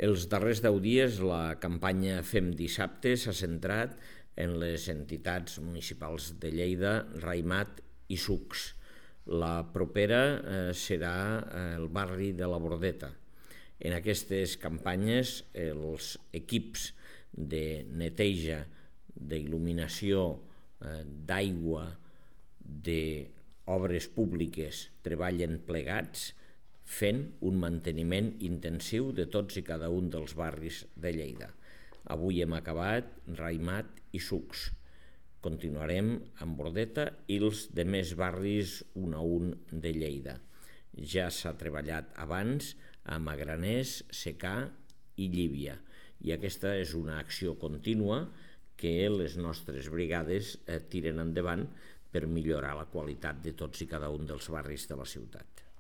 Els darrers 10 dies la campanya Fem Dissabte s'ha centrat en les entitats municipals de Lleida, Raïmat i Sucs. La propera serà el barri de la Bordeta. En aquestes campanyes els equips de neteja, d'il·luminació, d'aigua, d'obres públiques treballen plegats fent un manteniment intensiu de tots i cada un dels barris de Lleida. Avui hem acabat Raïmat i Sucs. Continuarem amb Bordeta i els demés barris un a un de Lleida. Ja s'ha treballat abans a Magraners, Secà i Llívia, i aquesta és una acció contínua que les nostres brigades tiren endavant per millorar la qualitat de tots i cada un dels barris de la ciutat.